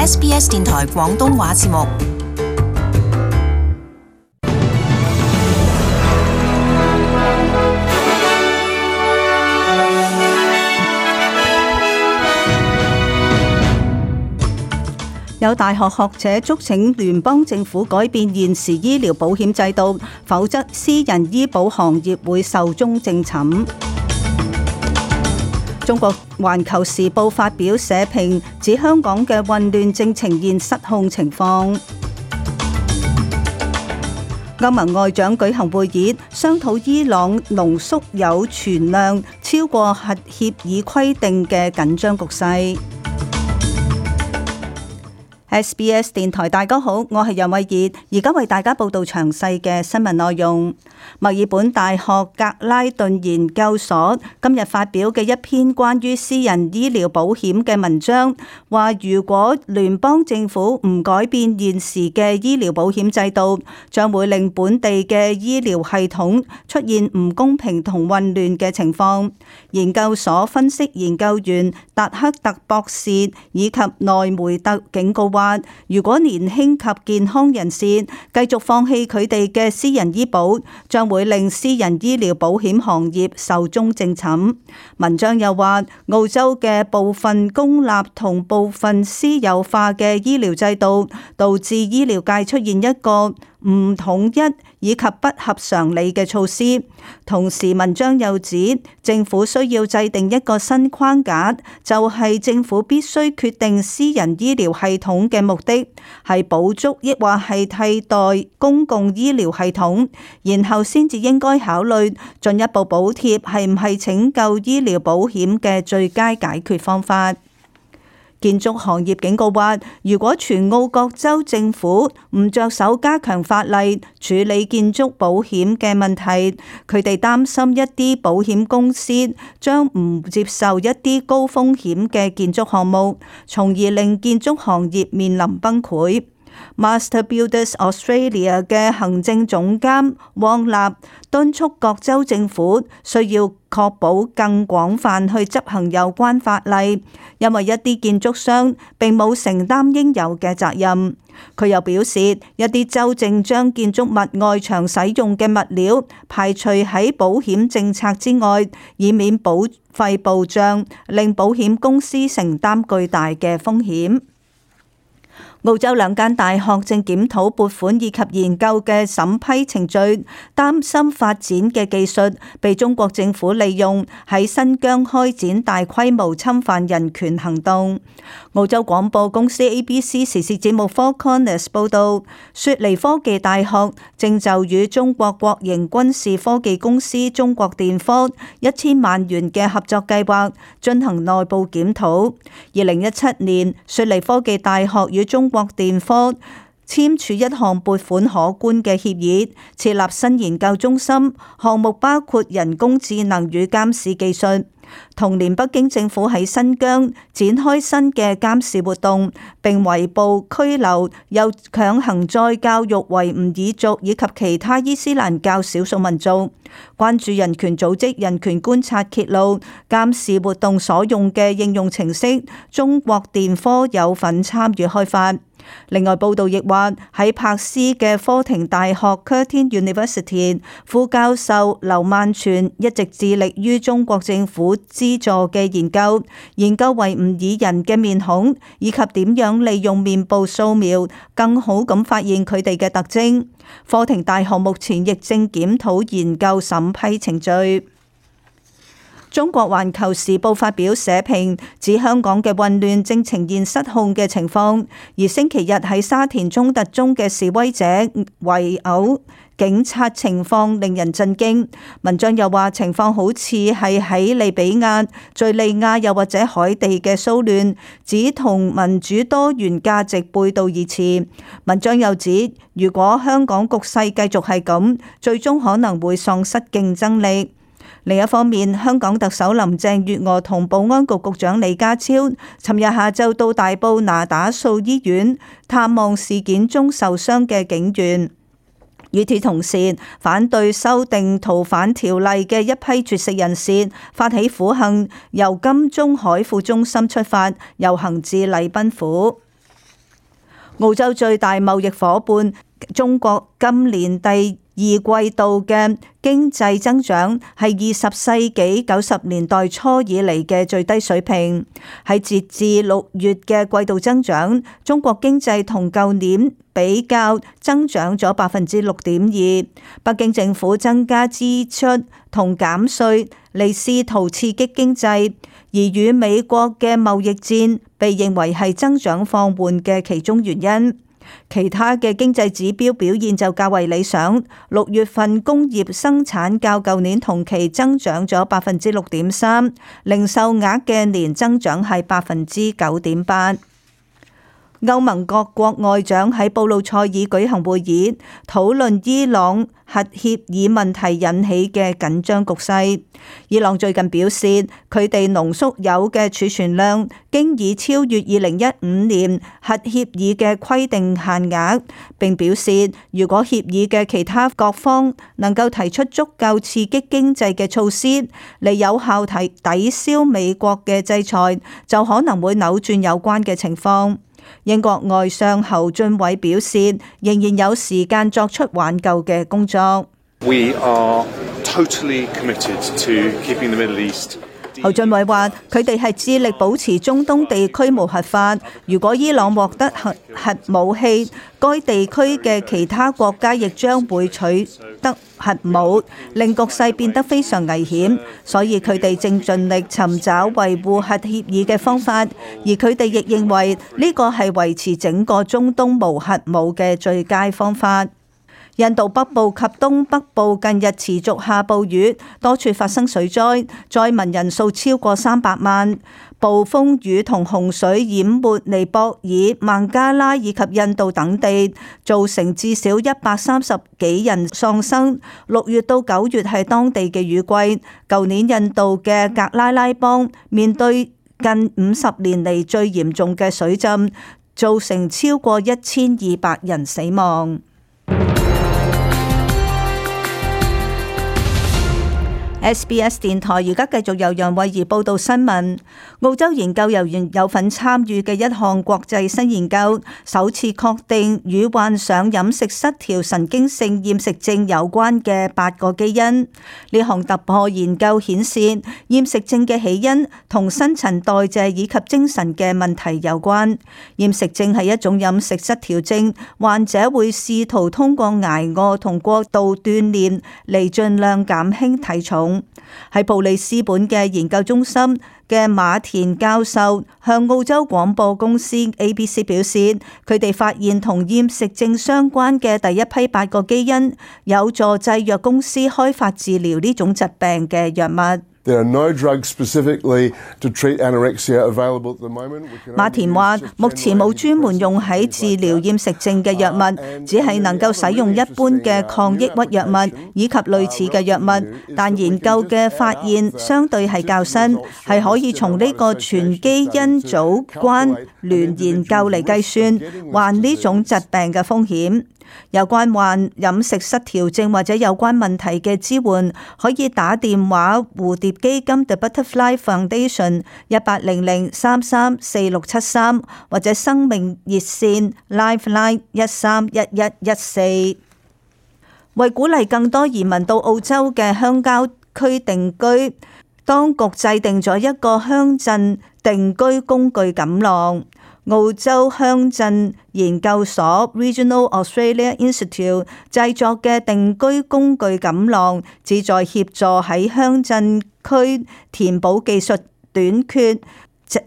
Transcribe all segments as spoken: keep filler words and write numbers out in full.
S B S 電台廣東話節目。有大學學者促請聯邦政府改變現時醫療保險制度，否則私人醫保行業會壽終正寢。中國環球時報發表社評，指香港嘅混亂正呈現失控情況。歐盟外長舉行會議，商討伊朗濃縮鈾存量超過核協議規定嘅緊張局勢。S B S 電台，大家好，我係楊慧儀，而家為大家報道詳細嘅新聞內容。墨爾本大學格拉頓研究所今日發表嘅一篇關於私人醫療保險嘅文章，話如果聯邦政府唔改變現時嘅醫療保險制度，將會令本地嘅醫療系統出現唔公平同混亂嘅情況。研究所分析研究員達克特博士以及內梅特警告話，如果年輕及健康人士繼續放棄佢哋嘅私人醫保，將會令私人醫療保險行業壽終正寢。文章又話，澳洲嘅部分公立同部分私有化嘅醫療制度，導致醫療界出現一個唔統一以及不合常理嘅措施。同時，文章又指政府需要制定一個新框架，就係政府必須決定私人醫療系統嘅目的係補足抑或係替代公共醫療系統，然後先至應該考慮進一步補貼係唔係拯救醫療保險嘅最佳解決方法。建築行業警告話，如果全澳各州政府唔着手加強法例處理建築保險嘅問題，佢哋擔心一啲保險公司將唔接受一啲高風險嘅建築項目，從而令建築行業面臨崩潰。Master Builders Australia 嘅行政總監汪納敦促各州政府需要確保更廣泛去執行有關法例，因為一啲建築商並冇承擔應有嘅責任。佢又表示，一啲州正將建築物外牆使用嘅物料排除喺保險政策之外，以免保費暴漲，令保險公司承擔巨大嘅風險。澳洲兩間大學正檢討撥款以及研究嘅審批程序，擔心發展嘅技術被中國政府利用喺新疆開展大規模侵犯人權行動。澳洲廣播公司 A B C 時事節目 Four Corners 報道，雪梨科技大學正就與中國國營軍事科技公司中國電科一千萬元嘅合作計劃進行內部檢討。二零一七年，雪梨科技大學與中國電科簽署一項撥款可觀嘅協議，設立新研究中心，項目包括人工智能與監視技術。同年，北京政府喺新疆展開新嘅監視活動，並圍捕、拘留又強行再教育維吾爾族以及其他伊斯蘭教少數民族。關注人權組織人權觀察揭露，監視活動所用嘅應用程式，中國電科有份參與開發。另外，報道亦話喺柏斯嘅科廷大學 Curtin University 副教授劉萬全一直致力於中國政府資助嘅研究，研究維吾爾人嘅面孔以及點樣利用面部掃描更好咁發現佢哋嘅特徵。科廷大學目前亦正檢討研究審批程序。中國環球時報發表社評，指香港嘅混亂正呈現失控嘅情況，而星期日喺沙田衝突中嘅示威者圍毆警察情況令人震驚。文章又話情況好似係喺利比亞、敘利亞又或者海地嘅騷亂，指同民主多元價值背道而馳。文章又指，如果香港局勢繼續係咁，最終可能會喪失競爭力。另一方面，香港特首林鄭月娥同保安局局長李家超尋日下晝到大埔那打素醫院探望事件中受傷嘅警員。與此同時，反對修訂逃犯條例嘅一批絕食人士發起苦行，由金鐘海富中心出發，遊行至禮賓府。澳洲最大貿易夥伴中國今年第二季度嘅經濟增長係二十世紀九十年代初以嚟嘅最低水平。喺截至六月嘅季度增長，中國經濟同舊年比較增長咗百分之六點二。北京政府增加支出同減稅嚟試圖刺激經濟，而與美國嘅貿易戰被認為係增長放緩嘅其中原因。其他嘅經濟指標表現就較為理想。六月份工業生產較舊年同期增長咗百分之六點三，零售額嘅年增長係百分之九點八。歐盟各國外長喺布魯塞爾舉行會議，討論伊朗核協議問題引起嘅緊張局勢。伊朗最近表示，佢哋濃縮鈾嘅儲存量經已超越二零一五年核協議嘅規定限額，並表示如果協議嘅其他各方能夠提出足夠刺激經濟嘅措施嚟有效提抵消美國嘅制裁，就可能會扭轉有關嘅情況。英國外相侯俊偉表示，仍然有時間作出挽救嘅工作。We are totally committed to keeping the Middle East. 侯俊偉話：佢哋係致力保持中東地區無核化。如果伊朗獲得核核武器，該地區嘅其他國家亦將會取得核武，令局勢變得非常危險。所以佢哋正盡力尋找維護核協議嘅方法，而佢哋亦認為呢個係維持整個中東無核武嘅最佳方法。印度北部及東北部近日持續下暴雨，多處發生水災，災民人數超過三百萬。暴風雨同洪水淹沒尼泊爾、孟加拉以及印度等地，造成至少一百三十幾人喪生。六月到九月係當地嘅雨季。舊年印度嘅格拉拉邦面對近五十年嚟最嚴重嘅水浸，造成超過一千二百人死亡。S B S 電台而家繼續由楊慧儀報道新聞。澳洲研究人員有份參與嘅一項國際新研究，首次確定與患上飲食失調神經性厭食症有關嘅八個基因。呢項突破研究顯示，厭食症嘅起因同新陳代謝以及精神嘅問題有關。厭食症係一種飲食失調症，患者會試圖通過挨餓同過度鍛煉嚟盡量減輕體重。喺布里斯本嘅研究中心嘅馬田教授向澳洲廣播公司 A B C 表示，佢哋發現同厭食症相關嘅第一批八個基因，有助製藥公司開發治療呢種疾病嘅藥物。There are no drugs specifically to treat anorexia available at the moment. 馬田話：目前冇專門用喺治療厭食症嘅藥物，只係能夠使用一般嘅抗抑鬱藥物以及類似嘅藥物。但研究嘅發現相對係較新，係可以從呢個全基因組關聯研究嚟計算患呢種疾病嘅風險。有關患飲食失調症或者有關問題嘅支援，可以打電話蝴蝶基金 The Butterfly Foundation 一八零零三三四六七三或者生命熱線 Lifeline 一三一一一四。為鼓勵更多移民到澳洲嘅鄉郊區定居，當局制定咗一個鄉鎮定居工具錦囊。澳洲鄉鎮研究所 Regional Australia Institute 製作嘅定居工具錦囊，旨在協助喺鄉鎮區填補技術短缺，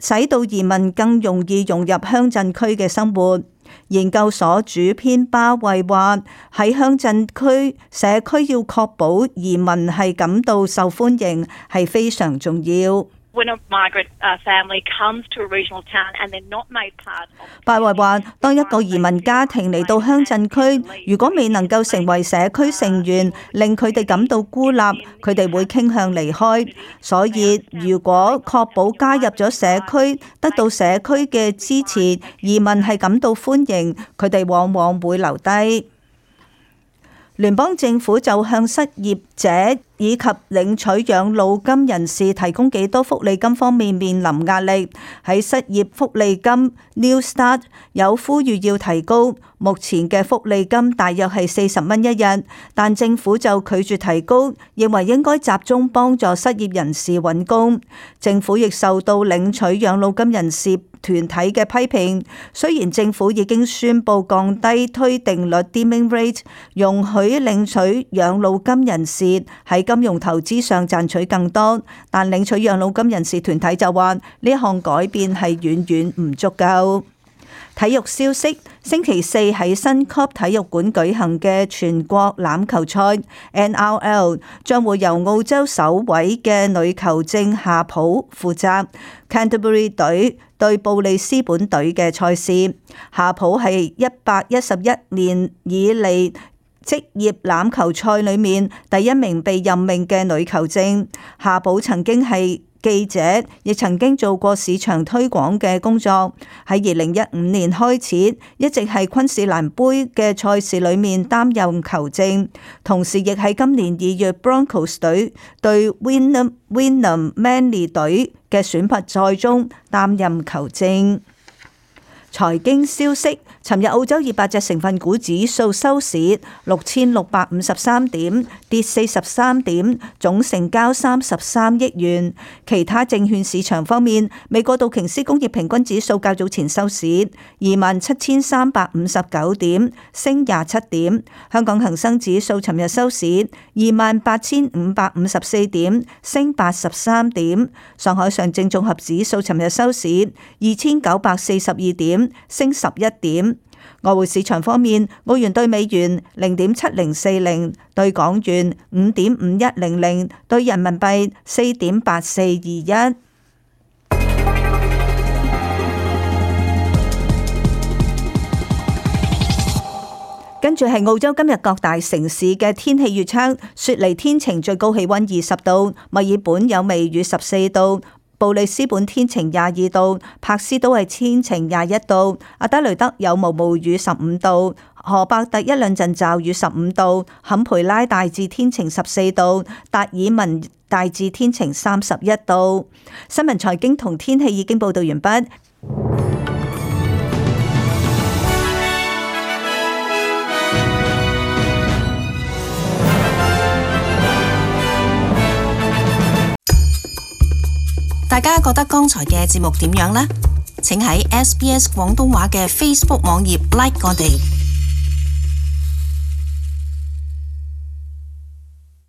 使到移民更容易融入鄉鎮區嘅生活。研究所主編巴慧話：喺鄉鎮區社區要確保移民係感到受歡迎，係非常重要。巴慧話：當一個移民家庭嚟到鄉鎮區，如果未能夠成為社區成員，令佢哋感到孤立，佢哋會傾向離開。所以，如果確保加入咗社區，得到社區嘅支持，移民係感到歡迎，佢哋往往會留低。聯邦政府就向失業者以及領取養老金人士提供幾多福利金方面面臨壓力。喺失業福利金 New Start 有呼籲要提高，目前嘅福利金大約係四十蚊一日，但政府就拒絕提高，認為應該集中幫助失業人士揾工。政府亦受到領取養老金人士團體嘅批評，雖然政府已經宣布降低推定率 （Deeming Rate），容許領取養老金人士喺金融投資上賺取更多，但領取養老金人士團體就話呢一項改變係遠遠唔足夠。體育消息，星期四喺新級體育館舉行嘅全國欖球賽 N R L 將會由澳洲首位嘅女球證夏普負責 Canterbury 隊對布里斯本隊嘅賽事。夏普係一百一十一年以嚟職業欖球賽裏面第一名被任命嘅女球證。夏普曾經係記者，亦曾經做過市場推廣嘅工作。喺二零一五年開始，一直係昆士蘭杯嘅賽事裏面擔任球證，同時亦喺今年二月 Broncos 隊對 Wynnum Wynnum Manly 隊嘅選拔賽中擔任球證。財經消息，尋日澳洲二百隻成分股指數收市六千六百五十三點，跌四十三點，總成交三十三億元。其他證券市場方面，美國道瓊斯工業平均指數較早前收市二萬七千三百五十九點，升廿七點。香港恒生指數尋日收市二萬八千五百五十四點，升八十三點。上海上證綜合指數尋日收市二千九百四十二點，升十一點。外匯市場方面，澳元兌美元零點七零四零，兌港元五點五一零零，兌人民幣四點八四二一。跟住係澳洲今日各大城市嘅天氣預測：雪梨天晴，最高氣溫二十度；墨爾本有微雨十四度。布里斯本天晴廿二度，柏斯都係天晴廿一度，阿德雷德有毛毛雨十五度，荷伯特一兩陣驟雨十五度，坎培拉大致天晴十四度，達爾文大致天晴三十一度。新聞財經同天氣已經報道完畢。大家覺得剛才嘅節目點樣呢？請喺 S B S 廣東話嘅 Facebook 網頁 like 我哋。